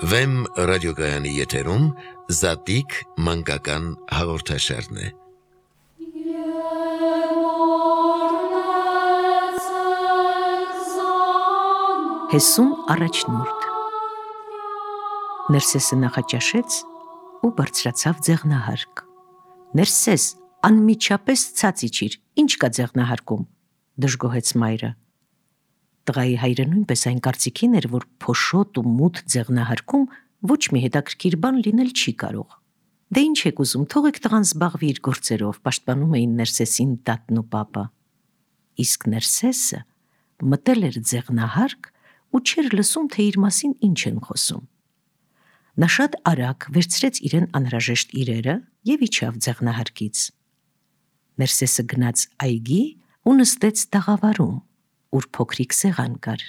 Վեմ ռադիոգայանի եթերում Զատիկ մանկական հաղորդաշարն է։ Հեսուն առաջնորդ Ներսեսը նախաճաշեց ու բարձրացավ ձեղնահարկ։ Ներսես, անմիջապես ցած իջիր, ինչ կա ձեղնահարկում, դժգոհեց մայրը։ Տղայի հայրը նույնպես այն կարծիքին էր, որ փոշոտ ու մութ ձեղնահարկում ոչ մի հետաքրքիր բան լինել չի կարող։ Դե ինչ եք ուզում, թողեք տղան զբաղվի իր գործերով, պաշտպանում էին Ներսեսին տատն ու պապը։ Իսկ Ներսեսը մտել էր ձեղնահարկ ու չէր լսում, թե իր մասին ինչ են խոսում։ Նա շատ արագ վերցրեց իրեն անհրաժեշտ իրերը և իջավ ձեղնահարկից։ Ներսեսը գնաց այգի ու նստեց տաղավարում, ուր փոքրիկ սեղան կար։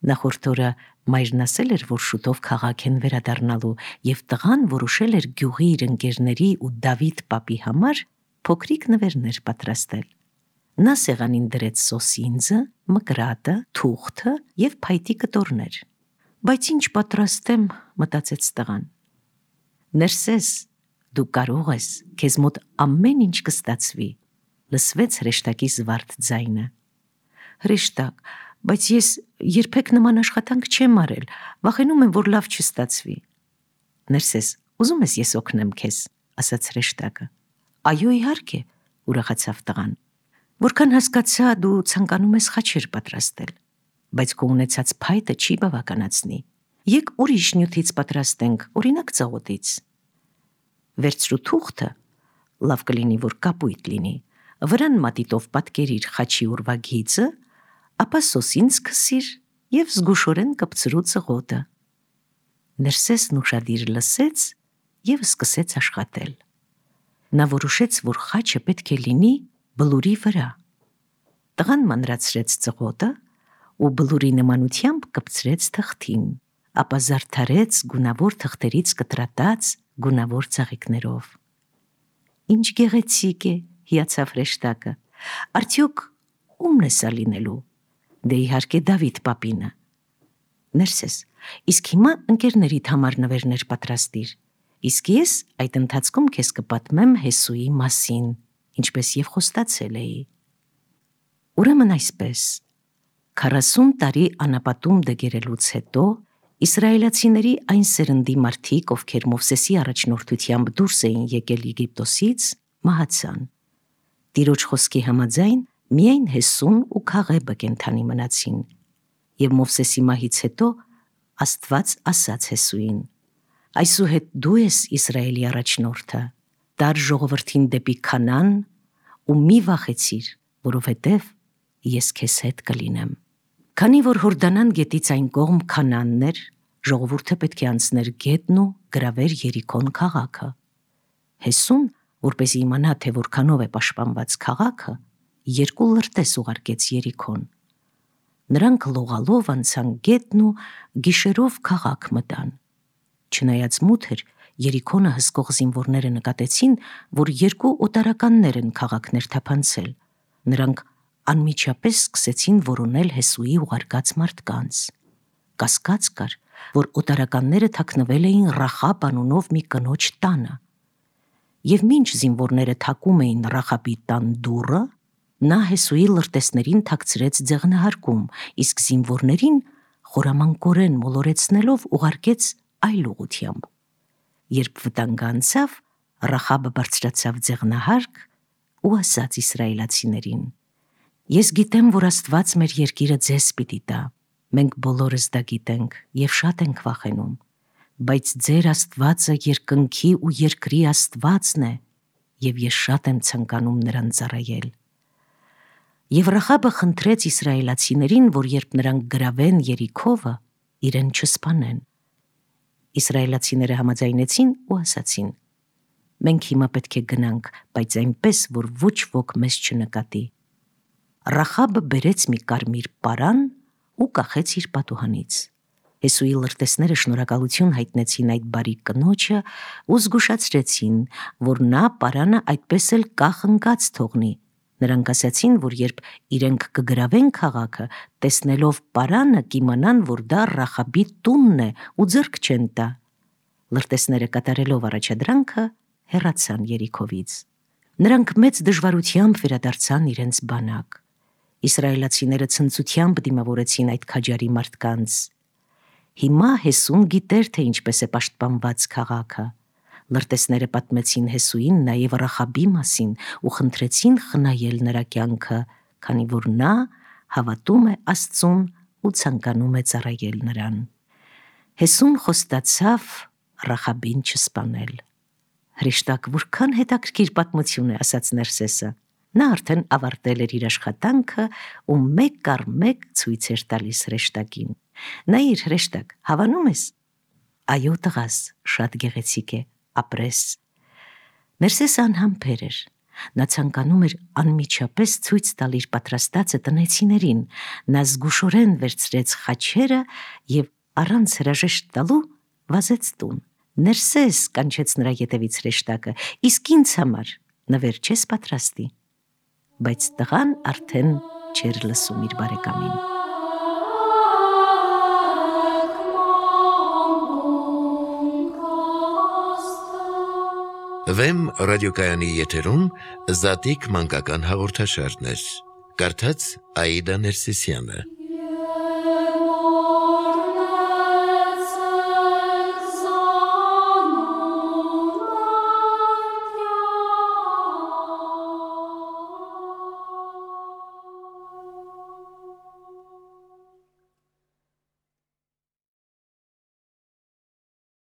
Նախորդ օրը մայրն ասել էր, որ շուտով քաղաք են վերադառնալու, և տղան որոշել էր գյուղի իր ընկերների ու Դավիթ պապի համար փոքրիկ նվերներ պատրաստել։ Նա սեղանին դրեց սոսինձը, մկրատը, թուղթը և փայտի կտորներ։ Բայց ինչ պատրաստեմ, մտածեց տղան։ Ներսես, դու կարող ես, քեզ մոտ ամեն ինչ կստացվի, լսվեց հրեշտակի զվարթ ձայնը։ Հրեշտակ, բայց ես երբեք նման աշխատանք չեմ արել, վախենում եմ, որ լավ չստացվի։ Ներսես, ուզում ես ես օգնեմ քեզ, ասաց հրեշտակը։ Այո, իհարկե, ուրախացավ տղան։ Որքան հասկացա, դու ցանկանում ես խաչեր պատրաստել, բայց քո ունեցած փայտը չի բավականացնի։ Եկ ուրիշ նյութից պատրաստենք, օրինակ ծաղոտից։ Վերցրու թուղթը, լավ կլինի, որ կապույտ լինի, վրան մատիտով պատկերիր խաչի ուրվագիծը, ապա սոսինձ քսիր և զգուշորեն կպցրու ծղոտը։ Ներսեսն ուշադիր լսեց և սկսեց աշխատել։ Նա որոշեց, որ խաչը պետք է լինի բլուրի վրա։ Տղան մանրացրեց ծղոտը ու բլուրի նմանությամբ կպցրեց թղթին, ապա զարդարեց գունավոր թղթերից կտրատած գունավոր ծաղիկներով։ Ինչ գեղեցիկ է, հիացավ հրեշտակը, արդյոք ումն է սա լինելու։ Դե իհարկե Դավիթ պապինը։ Ներսես, իսկ հիմա ընկերներիդ համար նվերներ պատրաստիր, իսկ ես այդ ընթացքում քեզ կպատմեմ Հեսուի մասին, ինչպես և խոստացել էի։ Ուրեմն այսպես, 40 տարի անապատում դգերելուց հետո իսրայելացիների այն սերնդի մարդիկ, ովքեր Մովսեսի առաջնորդությամբ դուրս էին եկել Եգիպտոսից, մահացան։ Տիրոջ խոսքի համաձայն միայն Հեսուն ու Քաղեբը կենդանի մնացին, և Մովսեսի մահից հետո Աստված ասաց Հեսուին. այսուհետ դու ես Իսրայելի առաջնորդը, տար ժողովրդին դեպի Քանան ու մի վախեցիր, որովհետև ես քեզ հետ կլինեմ։ Քանի որ Հորդանան գետից այն կողմ Քանանն էր, ժողովուրդը պետք է անցներ գետն ու գրավեր Երիքոն քաղաքը։ Հեսուն, որպեսզի իմանա, թե որքանով է պաշտպանված քաղաքը, 2 լրտես ուղարկեց Երիքոն։ Նրանք լողալով անցան գետն ու գիշերով քաղաք մտան։ Չնայած մութ էր, Երիքոնը հսկող զինվորները նկատեցին, որ 2 օտարականներ են քաղաք ներթափանցել։ Նրանք անմիջապես սկսեցին որոնել Հեսուի ուղարկած մարդկանց։ Կասկած կար, որ օտարականները թաքնվել էին Ռախաբ անունով մի կնոջ տանը։ Եվ մինչ զինվորները թակում էին Ռախաբի տան դուռը, նա Հեսուի լրտեսներին թաքցրեց ձեղնահարկում, իսկ զինվորներին խորամանկորեն մոլորեցնելով ուղարկեց այլ ուղղությամբ։ Երբ վտանգը անցավ, Ռախաբը բարձրացավ ձեղնահարկ ու ասաց իսրայելացիներին. ես գիտեմ, որ Աստված մեր երկիրը ձեզ պիտի տա, մենք բոլորս դա գիտենք և շատ ենք վախենում, բայց ձեր Աստվածը երկնքի ու երկրի Աստվածն է, և ես շատ եմ ցանկանում նրան ծառայել։ Եվ Ռախաբը խնդրեց իսրայելացիներին, որ երբ նրանք գրավեն Երիքովը, իրեն չսպանեն։ Իսրայելացիները համաձայնեցին ու ասացին. մենք հիմա պետք է գնանք, բայց այնպես, որ ոչ ոք մեզ չնկատի։ Ռախաբը բերեց մի կարմիր պարան ու կախեց իր պատուհանից։ Հեսուի լրտեսները շնորհակալություն հայտնեցին այդ բարի կնոջը ու զգուշացրեցին, որ նա պարանը այդպես էլ կախ ընկած թողնի, Նրանք ասացին, որ երբ իրենք կգրավեն քաղաքը, տեսնելով պարանը կիմանան, որ դա Ռախաբի տունն է ու ձեռք չեն տա։ Լրտեսները կատարելով առաջադրանքը հեռացան Երիքովից։ Նրանք մեծ դժվարությամբ վերադարձան իրենց բանակ։ Իսրայելացիները ցնծությամբ դիմավորեցին այդ քաջարի մարդկանց։ Հիմա Հեսուն գիտեր, թե ինչպես է պաշտպանված քաղաքը։ Լրտեսները պատմեցին Հեսուին նաև Ռախաբի մասին ու խնդրեցին խնայել նրա կյանքը, քանի որ նա հավատում է Աստծուն ու ցանկանում է ծառայել նրան։ Հեսուն խոստացավ Ռախաբին չսպանել։ Հրեշտակ, որքան հետաքրքիր պատմություն է, ասաց Ներսեսը։ Նա արդեն ավարտել էր իր աշխատանքը ու մեկ առ մեկ ցույց էր տալիս հրեշտակին։ Նայիր, հրեշտակ, հավանում ես։ Այո, տղաս, շատ գեղեցիկ է, ապրես։ Ներսեսը անհամբեր էր։ Նա ցանկանում էր անմիջապես ցույց տալ իր պատրաստածը տնեցիներին։ Նա զգուշորեն վերցրեց խաչերը եւ առանց հրաժեշտ տալու վազեց տուն։ Ներսես, կանչեց նրա ետևից հրեշտակը, իսկ ինձ համար նվեր չես պատրաստի։ Բայց տղան արդեն չէր լսում իր բարեկամին։ Վեմ ռադիոկայանի եթերում Զատիկ մանկական հաղորդաշարներ։ Կարդաց Աիդա Ներսիսյանը։